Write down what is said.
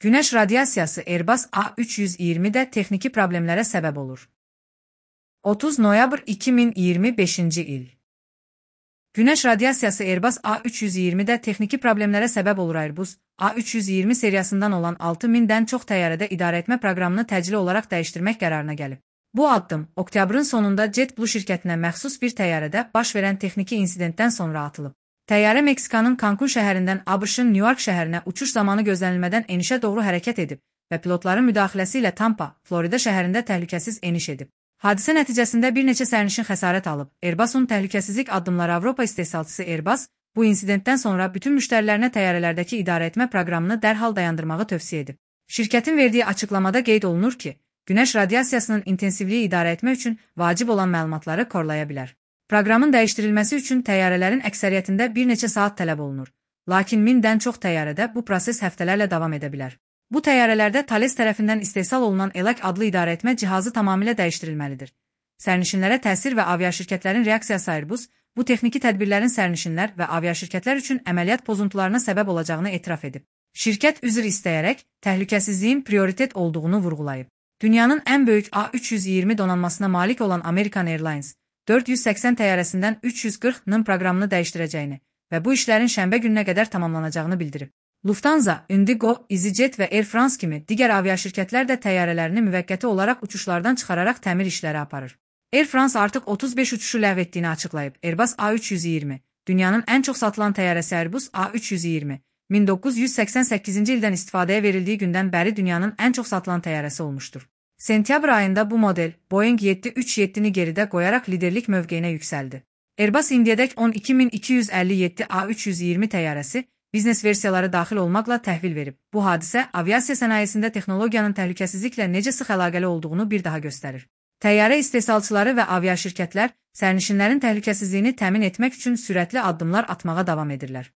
Günəş radiasiyası Airbus A320-də texniki problemlərə səbəb olur. 30 noyabr 2025-ci il. Günəş radiasiyası Airbus A320-də texniki problemlərə səbəb olur. Airbus A320 seriyasından olan 6000-dən çox təyyarədə idarəetmə proqramını təcili olaraq dəyişdirmək qərarına gəlib. Bu addım oktyabrın sonunda JetBlue şirkətinə məxsus bir təyyarədə baş verən texniki insidentdən sonra atılıb. Təyyarə Meksikanın Cancun şəhərindən ABŞ-ın New York şəhərinə uçuş zamanı gözlənilmədən enişə doğru hərəkət edib və pilotların müdaxiləsi ilə Tampa, Florida şəhərində təhlükəsiz eniş edib. Hadisə nəticəsində bir neçə sərnişin xəsarət alıb. Airbusun təhlükəsizlik addımları Avropa istehsalçısı Airbus bu insidentdən sonra bütün müştərilərinə təyyarələrdəki idarəetmə proqramını dərhal dayandırmağı tövsiyə edib. Şirkətin verdiyi açıqlamada qeyd olunur ki, günəş radiasiyasının intensivliyi idarə etmək üçün vacib olan məlumatları korlaya bilər. Proqramın dəyişdirilməsi üçün təyyarələrin əksəriyyətində bir neçə saat tələb olunur. Lakin 1000-dən çox təyyarədə bu proses həftələrlə davam edə bilər. Bu təyyarələrdə Thales tərəfindən istehsal olunan ELAC adlı idarəetmə cihazı tamamilə dəyişdirilməlidir. Sərnişinlərə təsir və aviaşirkətlərin reaksiyası Airbus, bu texniki tədbirlərin sərnişinlər və aviaşirkətlər üçün əməliyyat pozuntularına səbəb olacağını etiraf edib. Şirkət üzr istəyərək təhlükəsizliyin prioritet olduğunu vurğulayıb. Dünyanın ən böyük A320 donanmasına malik olan American Airlines, 480 təyyarəsindən 340-nın proqramını dəyişdirəcəyini və bu işlərin şənbə gününə qədər tamamlanacağını bildirib. Lufthansa, Indigo, EasyJet və Air France kimi digər aviaşirkətlər də təyyarələrini müvəqqəti olaraq uçuşlardan çıxararaq təmir işləri aparır. Air France artıq 35 uçuşu ləğv etdiyini açıqlayıb. Airbus A320, dünyanın ən çox satılan təyyarəsi Airbus A320, 1988-ci ildən istifadəyə verildiyi gündən bəri dünyanın ən çox satılan təyyarəsi olmuşdur. Sentyabr ayında bu model Boeing 737-ni geridə qoyaraq liderlik mövqeyinə yüksəldi. Airbus indiyədək 12257 A320 təyyarəsi biznes versiyaları daxil olmaqla təhvil verib. Bu hadisə aviasiya sənayesində texnologiyanın təhlükəsizliklə necə sıx əlaqəli olduğunu bir daha göstərir. Təyyarə istehsalçıları və aviaşirkətlər sərnişinlərin təhlükəsizliyini təmin etmək üçün sürətli addımlar atmağa davam edirlər.